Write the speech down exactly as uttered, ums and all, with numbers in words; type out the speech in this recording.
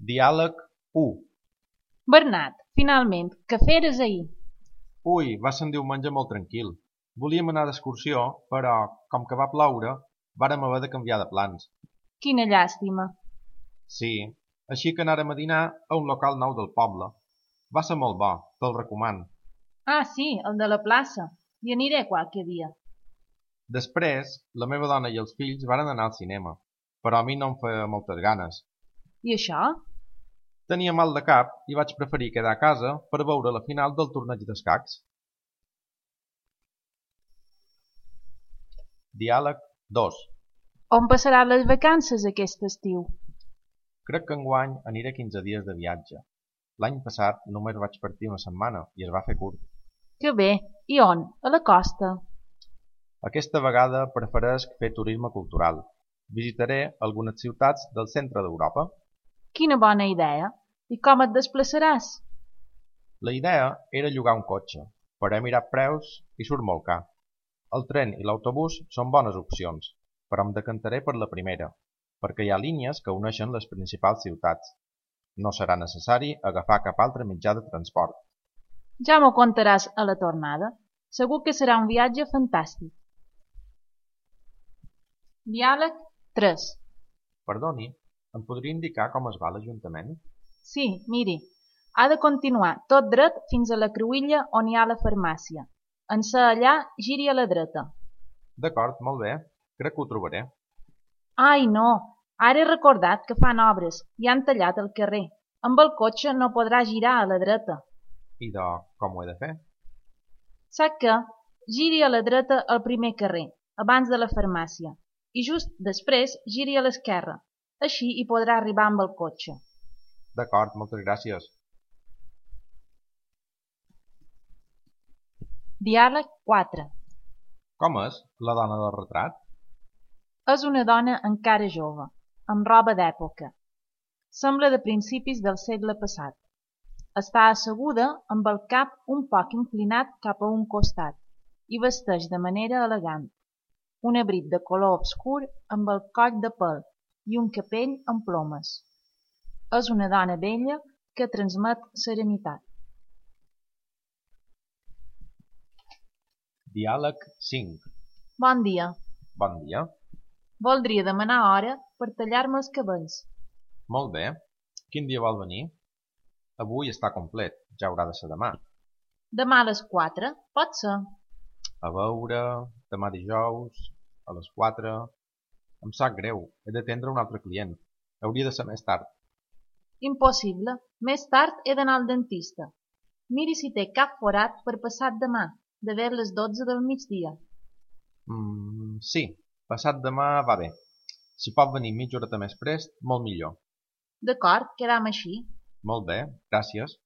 Diàleg u. Bernat, finalment, què feres ahir? Ui, va ser un diumenge molt tranquil. Volíem anar d'excursió, però, com que va ploure, vàrem haver de canviar de plans. Quina llàstima. Sí, així que anàrem a dinar a un local nou del poble. Va ser molt bo, te'l recomano. Ah, sí, el de la plaça. Hi aniré qualque dia. Després, la meva dona i els fills varen anar al cinema, però a mi no em feia moltes ganes. I això? Tenia mal de cap i vaig preferir quedar a casa per veure la final del torneig d'escacs. Diàleg dos. On passaràs les vacances aquest estiu? Crec que enguany aniré quinze dies de viatge. L'any passat només vaig partir una setmana i es va fer curt. Que bé. I on? A la costa? Aquesta vegada preferesc fer turisme cultural. Visitaré algunes ciutats del centre d'Europa. Quina bona idea. I com et desplaçaràs? La idea era llogar un cotxe, però he mirat preus i surt molt car. El tren i l'autobús són bones opcions, però em decantaré per la primera, perquè hi ha línies que uneixen les principals ciutats. No serà necessari agafar cap altre mitjà de transport. Ja m'ho contaràs a la tornada. Segur que serà un viatge fantàstic. Diàleg tres. Perdoni, em podria indicar com es va l'Ajuntament? Sí, miri, ha de continuar tot dret fins a la cruïlla on hi ha la farmàcia. En ser allà, giri a la dreta. D'acord, molt bé. Crec que ho trobaré. Ai, no, ara he recordat que fan obres i han tallat el carrer. Amb el cotxe no podrà girar a la dreta. I de com ho he de fer? Sap què? Giri a la dreta al primer carrer, abans de la farmàcia, i just després giri a l'esquerra. Així hi podrà arribar amb el cotxe. D'acord, moltes gràcies. Diàleg quatre. Com és la dona del retrat? És una dona encara jove, amb roba d'època. Sembla de principis del segle passat. Està asseguda amb el cap un poc inclinat cap a un costat i vesteix de manera elegant. Un abric de color obscur amb el coll de pèl i un capell amb plomes. És una dona bella que transmet serenitat. Diàleg cinc. Bon dia. Bon dia. Voldria demanar hora per tallar-me els cabells. Molt bé. Quin dia vol venir? Avui està complet, ja haurà de ser demà. Demà a les quatre, pot ser. A veure, demà dijous, a les quatre... Em sap greu, he d'atendre un altre client. Hauria de ser més tard. Impossible. Més tard he d'anar al dentista. Miri si té cap forat per passat demà, de ver les dotze del migdia. Mm, sí, passat demà va bé. Si pot venir mitja horeta més prest, molt millor. D'acord, quedam així. Molt bé, gràcies.